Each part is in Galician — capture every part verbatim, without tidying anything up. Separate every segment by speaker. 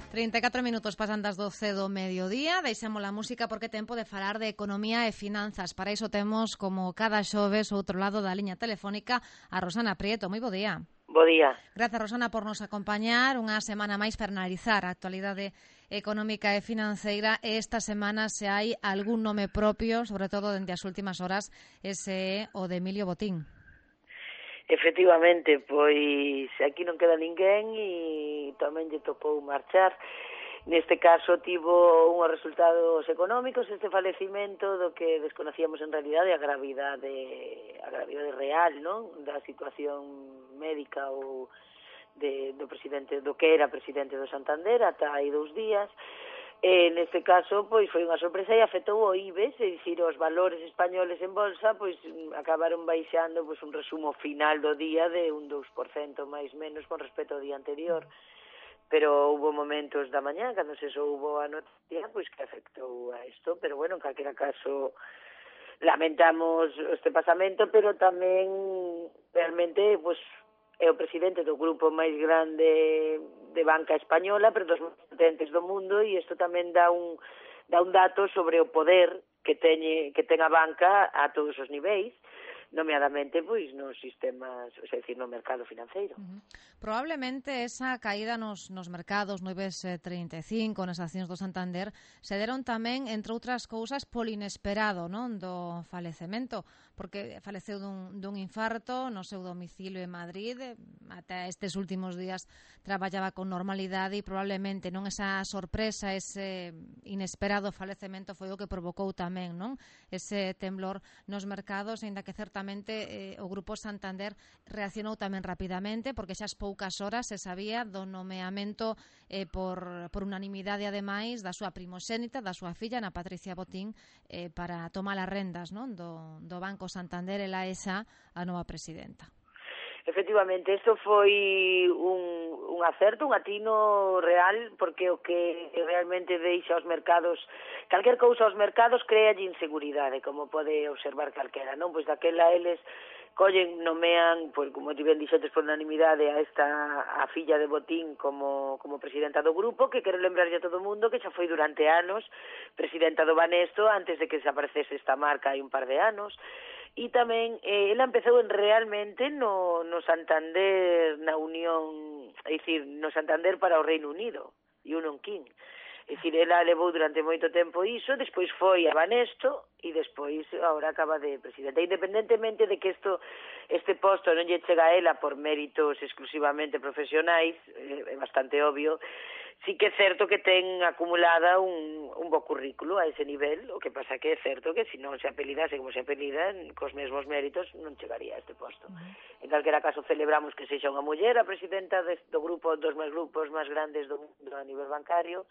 Speaker 1: trinta e catro minutos pasan das doce do mediodía. Deixamos a música porque é tempo de falar de economía e finanzas. Para iso temos, como cada xoves, outro lado da liña telefónica, a Rosana Prieto. Moi bo día.
Speaker 2: Bo día.
Speaker 1: Grazas, Rosana, por nos acompañar unha semana máis para analizar a actualidade económica e financeira. E esta semana, se hai algún nome propio, sobre todo dende as últimas horas, ese é o de Emilio Botín.
Speaker 2: Efectivamente, pois aquí non queda ninguén e tamén lle tocou marchar. Neste caso tivo unhos resultados económicos este falecimento do que desconocíamos en realidade a gravidade, a gravidade real, non? Da situación médica ou de, do presidente, do que era presidente do Santander ata hai dous días. E neste caso, pois, foi unha sorpresa e afectou o I B E S, é dicir, os valores españoles en bolsa, pois, acabaron baixando, pois, un resumo final do día de un dous por cento máis menos con respecto ao día anterior. Pero houve momentos da mañá, cando se soubo a noticia, pois, que afectou a isto, pero, bueno, en calquera caso, lamentamos este pasamento, pero tamén, realmente, pois, é o presidente do grupo máis grande de banca española, pero dos máis potentes do mundo, e isto tamén dá un dá un dato sobre o poder que teñe que ten a banca a todos os niveis, nomeadamente pois nos sistemas, é dicir, no mercado financeiro.
Speaker 1: Uh-huh. Probablemente esa caída nos, nos mercados, no I B E S trinta e cinco, nas accións do Santander, se deron tamén, entre outras cousas, polo inesperado, non, do falecemento, porque faleceu dun, dun infarto no seu domicilio en Madrid, ata estes últimos días traballaba con normalidade e probablemente non esa sorpresa, ese inesperado falecemento foi o que provocou tamén, non, ese temblor nos mercados, ainda que certa Eh, o Grupo Santander reaccionou tamén rapidamente porque xa as poucas horas se sabía do nomeamento eh, por, por unanimidade ademais da súa primoxénita, da súa filla, Ana Patricia Botín, eh, para tomar as rendas, non, do, do Banco Santander. Ela é xa a nova presidenta.
Speaker 2: Efectivamente, isto foi un, un acerto, un atino real, porque o que realmente deixa aos mercados, calquer cousa aos mercados crea inseguridade, como pode observar calquera, non? Pois daquela eles collen, nomean, pois, como ti ben dixetes, por unanimidade a esta a filla de Botín como, como presidenta do grupo, que quero lembrarlle a todo o mundo que xa foi durante anos presidenta do Banesto antes de que desaparecese esta marca hai un par de anos. E tamén, eh, ela empezou en realmente no, no Santander, na Unión, é dicir, no Santander para o Reino Unido, Union King. É dicir, ela levou durante moito tempo iso, despois foi a Banesto e despois agora acaba de presidenta. Independentemente de que isto, este posto non lle chega a ela por méritos exclusivamente profesionais, é bastante obvio, sí que é certo que ten acumulada un, un bo currículo a ese nivel, o que pasa que é certo que se non se apelidase como se apelida, cos mesmos méritos non chegaría a este posto. Uh-huh. En calquera caso celebramos que sexa unha muller a presidenta do grupo, dos máis grupos máis grandes do mundo a nivel bancario.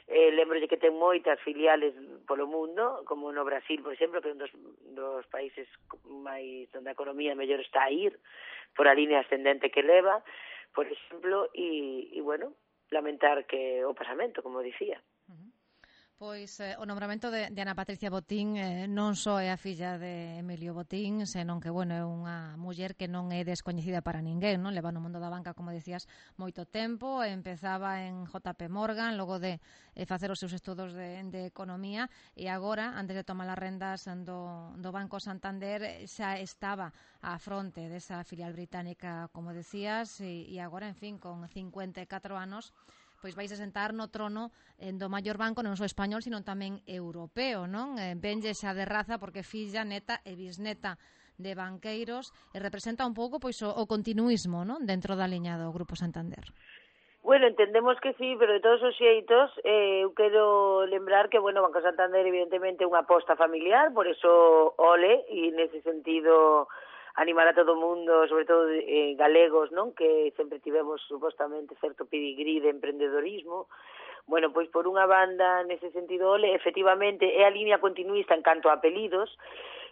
Speaker 2: Eh, lembrolle que ten moitas filiales polo mundo, como no Brasil, por exemplo, que é un dos, dos países máis onde a economía mellor está a ir, por a línea ascendente que leva, por exemplo, e, e bueno, lamentar que o pasamento, como dicía.
Speaker 1: Uh-huh. Pois eh, o nombramento de, de Ana Patricia Botín eh, non só é a filla de Emilio Botín, senón que, bueno, é unha muller que non é descoñecida para ninguén, non? Leva no mundo da banca, como decías, moito tempo, empezaba en J P Morgan, logo de eh, facer os seus estudos de, de economía, e agora, antes de tomar as rendas do, do Banco Santander, xa estaba á fronte desa filial británica, como decías, e, e agora, en fin, con cincuenta e catro anos, pois vais a sentar no trono eh, do maior banco non só español, sino tamén europeo, non? Eh, venlle xa de raza porque filla, neta e bisneta de banqueiros e representa un pouco pois o, o continuismo, non? Dentro da liña do Grupo Santander.
Speaker 2: Bueno, entendemos que sí, pero de todos os xeitos eh, eu quero lembrar que, bueno, Banco Santander evidentemente é unha aposta familiar, por eso ole, e nese sentido animar a todo o mundo, sobre todo eh, galegos, non, que sempre tivemos supostamente certo pedigrí de emprendedorismo. Bueno, pois por unha banda, nese sentido, ole, efectivamente é a línea continuista en canto a apelidos,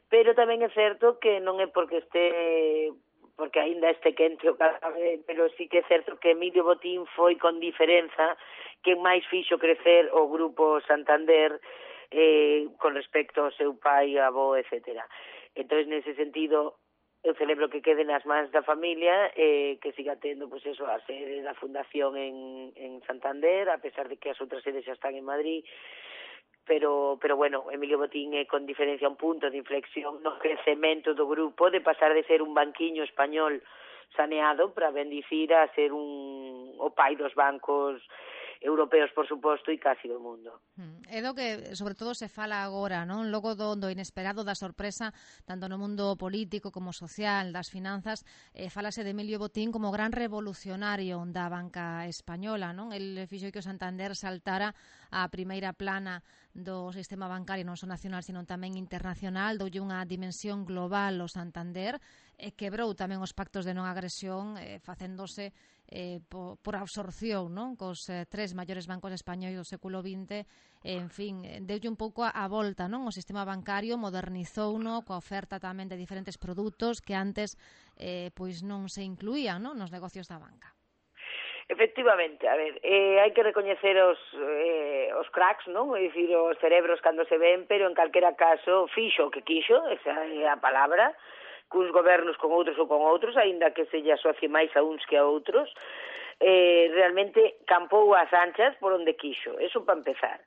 Speaker 2: pero tamén é certo que non é porque este, porque aínda este quente o cabe, pero sí que é certo que Emilio Botín foi con diferenza quen máis fixo crecer o Grupo Santander eh, con respecto ao seu pai, avó, etcétera. Entón, nese sentido, eu celebro que quede nas mans da familia e eh, que siga tendo, pois eso, a sede da fundación en, en Santander, a pesar de que as outras sedes xa están en Madrid, pero, pero bueno, Emilio Botín é con diferencia un punto de inflexión no crecemento do grupo, de pasar de ser un banquiño español saneado para bendicir a ser un o pai dos bancos europeos, por suposto, e casi do mundo.
Speaker 1: É do que, sobre todo, se fala agora, non? Logo do, do inesperado, da sorpresa, tanto no mundo político como social, das finanzas, eh, falase de Emilio Botín como gran revolucionario da banca española, non? El fixo que o Santander saltara a primeira plana do sistema bancario non só nacional, sino tamén internacional, doulle unha dimensión global ao Santander, e quebrou tamén os pactos de non agresión, eh, facéndose eh, por, por absorción, non? Cos eh, tres maiores bancos españois do século vinte, eh, en fin, deulle un pouco a, a volta, non? O sistema bancario modernizouno coa oferta tamén de diferentes produtos que antes eh, pois non se incluían, non? Nos negocios da banca.
Speaker 2: Efectivamente, a ver, eh, hai que recoñecer os, eh, os cracks, non? É dicir, os cerebros cando se ven, pero en calquera caso fixo o que quixo, esa é a palabra, cuns gobernos con outros ou con outros, aínda que se lle asocie máis a uns que a outros, eh, realmente campou as anchas por onde quixo, eso para empezar.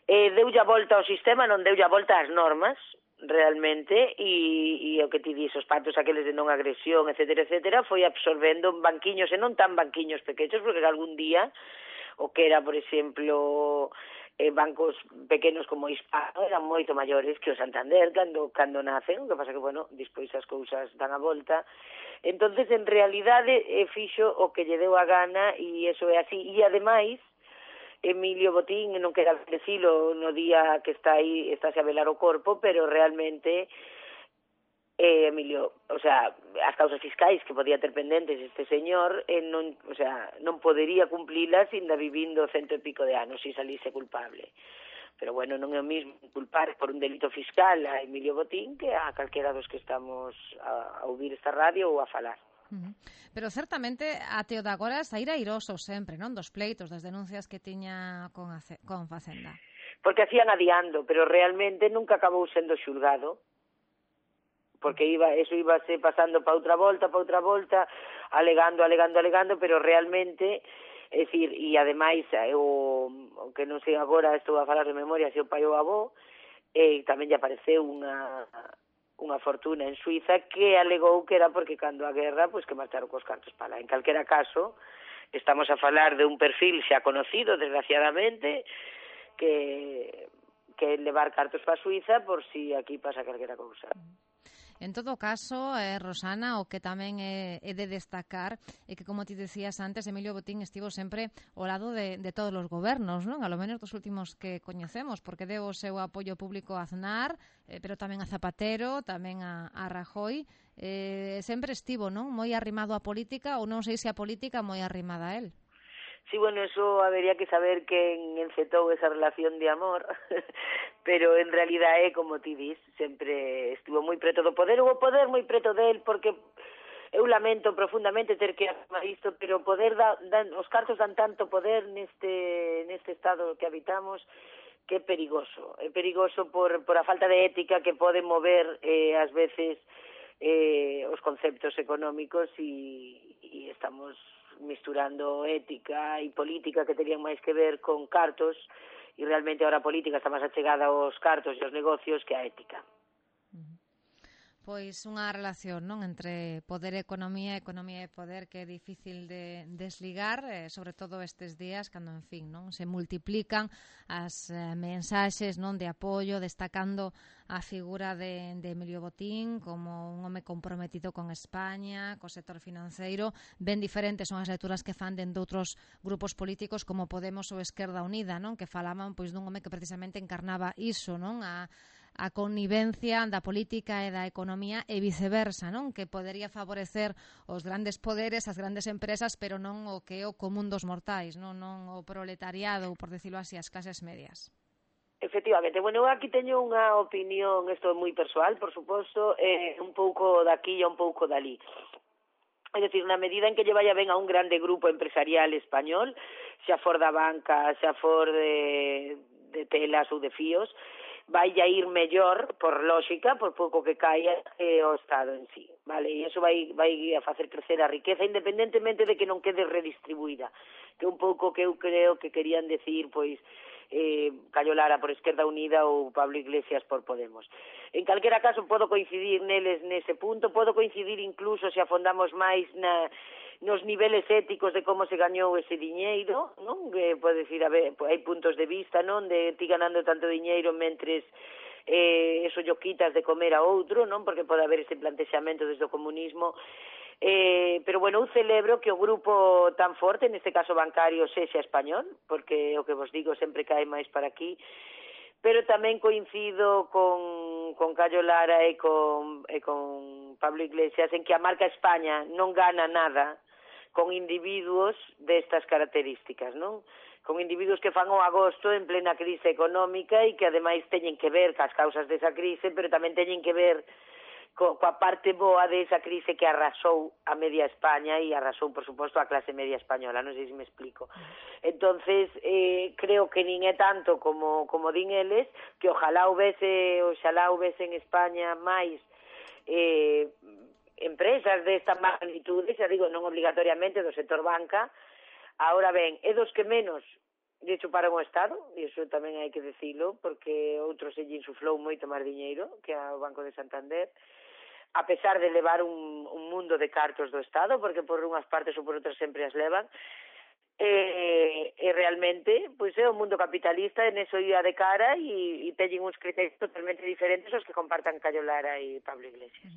Speaker 2: Eh, deulle a volta ao sistema, non deulle a volta ás normas, realmente, e, e o que ti dis, os pactos aqueles de non agresión, etcétera, etcétera, foi absorbendo banquiños, e non tan banquiños pequenos, porque algún día, o que era, por exemplo, eh, bancos pequenos como Hispano, eran moito maiores que o Santander cando, cando nacen, o que pasa que, bueno, despois as cousas dan a volta. Entonces, en realidade, eh, fixo o que lle deu a gana, e eso é así, e ademais, Emilio Botín, non quero decilo no día que está aí, estáse a velar o corpo, pero realmente eh, Emilio, o sea, as causas fiscais que podía ter pendentes este señor, eh, non, o sea, non podería cumplilas ainda vivindo cento e pico de anos se salise culpable. Pero bueno, non é o mismo culpar por un delito fiscal a Emilio Botín que a calquera dos que estamos a, a ouvir esta radio ou a falar.
Speaker 1: Pero certamente até o de agora saír airoso sempre, non? Dos pleitos, das denuncias que tiña con, a, con Facenda.
Speaker 2: Porque hacían adiando, pero realmente nunca acabou sendo xulgado, porque iba eso íbase pasando para outra volta, para outra volta, alegando, alegando, alegando, pero realmente, é dicir, e ademais, o, o que non sei agora, estou a falar de memoria, se o pai ou avó, e tamén lle apareceu unha... unha fortuna en Suiza que alegou que era porque cando a guerra, pois que marcharon cos cartos para lá. En calquera caso, estamos a falar de un perfil xa conocido, desgraciadamente, que que levar cartos para Suiza por si aquí pasa calquera cousa.
Speaker 1: En todo caso, eh, Rosana, o que tamén é, é de destacar é que, como ti decías antes, Emilio Botín estivo sempre ao lado de, de todos os gobernos, non? A lo menos dos últimos que coñecemos, porque deu o seu apoio público a Aznar, eh, pero tamén a Zapatero, tamén a, a Rajoy. Eh, sempre estivo, non? Moi arrimado á política, ou non sei se a política moi arrimada a él.
Speaker 2: Sí, bueno, eso habería que saber quen encetou esa relación de amor, pero en realidad é como ti dis, sempre estivo moi preto do poder, o poder moi preto del, porque eu lamento profundamente ter que afirmar isto, pero o poder da, dan, os cartos dan tanto poder neste neste estado que habitamos que é perigoso, é perigoso por, por a falta de ética que pode mover eh, ás veces eh, os conceptos económicos e, e estamos misturando ética e política que terían máis que ver con cartos e realmente ahora a política está máis achegada aos cartos e aos negocios que a ética.
Speaker 1: Pois unha relación, non, entre poder e economía, economía e poder que é difícil de desligar, eh, sobre todo estes días, cando, en fin, non, se multiplican as eh, mensaxes, non, de apoio, destacando a figura de, de Emilio Botín como un home comprometido con España, co sector financeiro. Ben diferentes son as lecturas que fan dentro de outros grupos políticos como Podemos ou Esquerda Unida, non, que falaban pois dun home que precisamente encarnaba iso, non, a a connivencia da política e da economía e viceversa, non? Que podería favorecer os grandes poderes, as grandes empresas, pero non o que é o común dos mortais, non, non o proletariado, ou por decirlo así, as clases medias.
Speaker 2: Efectivamente, bueno, eu aquí teño unha opinión, isto é moi persoal, por suposto, eh, un pouco daqui e un pouco dali. É dicir, na medida en que lle vaya ben a un grande grupo empresarial español, xa for da banca, xa for de, de telas ou de fíos, vai a ir mellor, por lógica, por pouco que caia eh, o Estado en sí, vale? E iso vai, vai a facer crecer a riqueza, independentemente de que non quede redistribuída, que un pouco que eu creo que querían decir, pois, eh, Cayo Lara por Esquerda Unida ou Pablo Iglesias por Podemos. En calquera caso, podo coincidir neles nese punto, podo coincidir incluso se afondamos máis na nos niveles éticos de como se gañou ese diñeiro, non? Que pode decir, a ver, hai puntos de vista, non? De ti ganando tanto diñeiro mentres eh, eso yo quitas de comer a outro, non? Porque pode haber ese plantexamento desde o comunismo. Eh, pero, bueno, eu celebro que o grupo tan forte, neste caso bancario, sexa español, porque o que vos digo sempre cae máis para aquí, pero tamén coincido con, con Cayo Lara e con, e con Pablo Iglesias en que a marca España non gana nada con individuos destas características, non? Con individuos que fan o agosto en plena crise económica e que ademais teñen que ver cas causas desa crise, pero tamén teñen que ver co, coa parte boa desa crise que arrasou a media España e arrasou, por suposto, a clase media española, non sei se me explico. Entonces, eh, creo que nin é tanto como, como din eles, que ojalá houvese, ojalá houvese en España máis eh, empresas desta magnitude, xa digo, non obligatoriamente do sector banca. Ahora ben, é dos que menos lle chuparon o Estado, e iso tamén hai que decilo, porque outros se lle insuflou moito máis diñeiro que ao Banco de Santander, a pesar de levar un, un mundo de cartos do Estado, porque por unhas partes ou por outras sempre as levan, e, e realmente pois é o mundo capitalista, en eso ia de cara e, e teñen uns criterios totalmente diferentes aos que compartan Cayo Lara e Pablo Iglesias.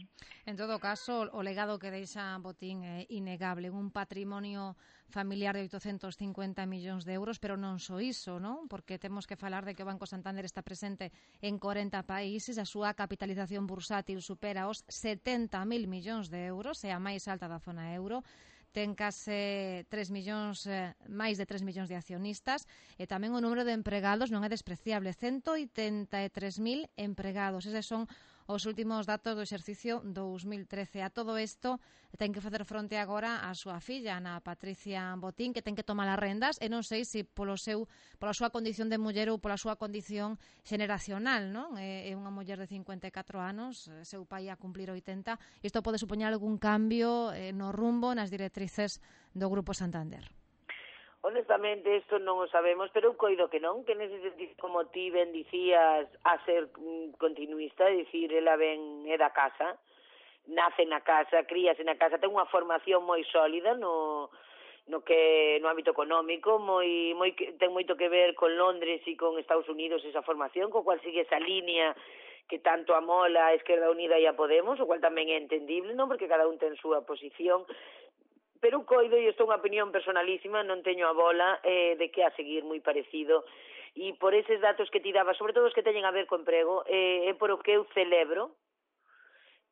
Speaker 1: En todo caso, o legado que deixa Botín é innegable, un patrimonio familiar de oitocentos cincuenta millóns de euros, pero non só iso, non? Porque temos que falar de que o Banco Santander está presente en corenta países, a súa capitalización bursátil supera os setenta mil millóns de euros, é a máis alta da zona euro, ten case tres millóns, eh, máis de tres millóns de accionistas e tamén o número de empregados non é despreciable, ciento oitenta e tres mil empregados. Eses son os últimos datos do exercicio dous mil trece. A todo isto ten que facer fronte agora a súa filla, Ana Patricia Botín, que ten que tomar as rendas e non sei se polo seu, pola súa condición de muller ou pola súa condición xeneracional, non? É unha muller de cincuenta e catro anos, seu pai a cumplir oitenta. Isto pode supoñer algún cambio eh, no rumbo, nas directrices do Grupo Santander?
Speaker 2: Honestamente, isto non o sabemos, pero eu coido que non, que nese sentido, como ti ben dicías, a ser continuista, é dicir, ela ben é da casa, nace na casa, críase na casa, ten unha formación moi sólida no, no que no ámbito económico, moi, moi, ten moito que ver con Londres e con Estados Unidos esa formación, co cual sigue esa línea que tanto amola a Esquerda Unida e a Podemos, o cual tamén é entendible, non? Porque cada un ten súa posición. Pero un coido, e isto é unha opinión personalísima, non teño a bola eh, de que a seguir moi parecido, e por eses datos que ti daba, sobre todo os que teñen a ver co emprego, eh, é por o que eu celebro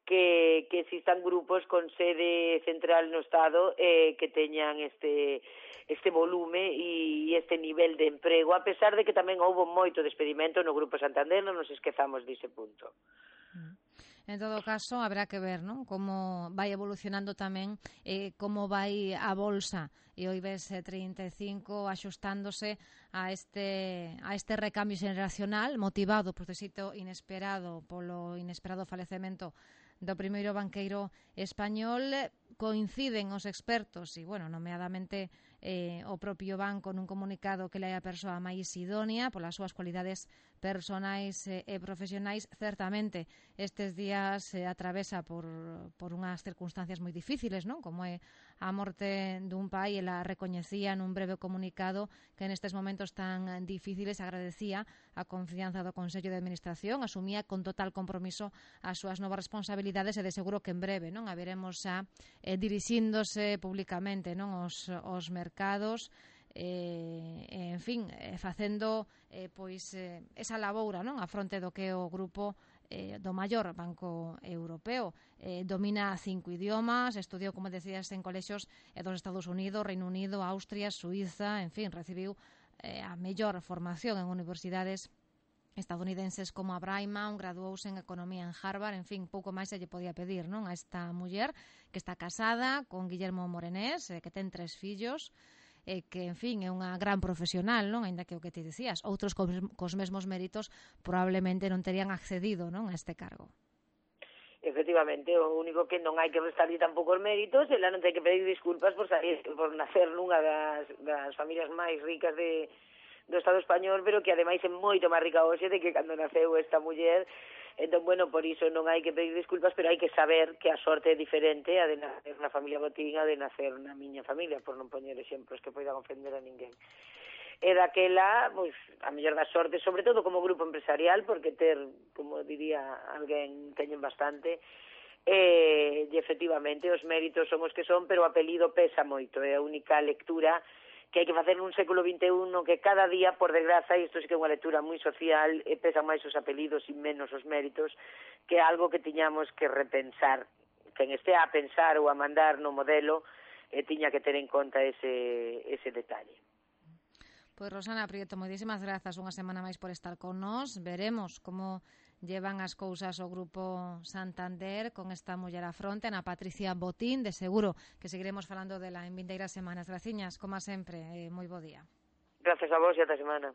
Speaker 2: que, que existan grupos con sede central no Estado eh, que teñan este, este volume e este nivel de emprego, a pesar de que tamén houbo moito despedimento no Grupo Santander, non nos esquezamos dise punto.
Speaker 1: Mm. En todo caso, habrá que ver, ¿no?, como vai evolucionando tamén eh, como vai a bolsa e o IBEX trinta e cinco axustándose a este a este recambio xeneracional motivado por éxito inesperado polo inesperado falecemento do primeiro banqueiro español. Coinciden os expertos e, bueno, nomeadamente eh, o propio banco nun comunicado que le hai a persoa máis idónea polas súas cualidades personais e, e profesionais. Certamente estes días se eh, atravesa por, por unhas circunstancias moi difíciles, non? Como é a morte dun pai. Ela recoñecía nun breve comunicado que nestes momentos tan difíciles agradecía a confianza do Consello de Administración, asumía con total compromiso as súas novas responsabilidades e de seguro que en breve, non, a veremos xa eh, dirixíndose públicamente, non, os, os mercados, eh, en fin, eh, facendo eh, pois eh, esa laboura, non, a fronte do que o grupo eh, do maior banco europeo. Eh, domina cinco idiomas, estudiou, como decías, en colexios eh, dos Estados Unidos, Reino Unido, Austria, Suiza, en fin, recibiu eh, a mellor formación en universidades estadounidenses como a Braiman, graduouse en Economía en Harvard, en fin, pouco máis se lle podía pedir, non, a esta muller que está casada con Guillermo Morenés, eh, que ten tres fillos, e que, en fin, é unha gran profesional, non? Ainda que o que ti dicías, outros cos, cos mesmos méritos probablemente non terían accedido, non, a este cargo.
Speaker 2: Efectivamente, o único que non hai que restarlle tampouco os méritos, ela non ten que pedir disculpas por salir, por nacer nunha das, das familias máis ricas de, do Estado español, pero que ademais é moito máis rica hoxe de que cando naceu esta muller. Entón, bueno, por iso non hai que pedir disculpas, pero hai que saber que a sorte é diferente a de nacer na familia Botín, a de nacer na miña familia, por non poñer exemplos que poidan ofender a ninguén. E daquela, pois, a mellor da sorte, sobre todo como grupo empresarial, porque ter, como diría alguén, teñen bastante, e, e efectivamente os méritos son os que son, pero o apelido pesa moito, é a única lectura que hai que facer nun século vinte e un no que cada día, por desgraza, e isto sí que é unha lectura moi social, e pesan máis os apelidos e menos os méritos, que é algo que tiñamos que repensar. Quen estea a pensar ou a mandar no modelo, e tiña que ter en conta ese, ese detalle.
Speaker 1: Pois Rosana Prieto, moitísimas grazas unha semana máis por estar con nós. Veremos como llevan as cousas o Grupo Santander con esta muller á fronte, Ana Patricia Botín. De seguro que seguiremos falando dela en vindeiras semanas. Graciñas, como sempre, e moi bo día.
Speaker 2: Gracias a vos e ata semana.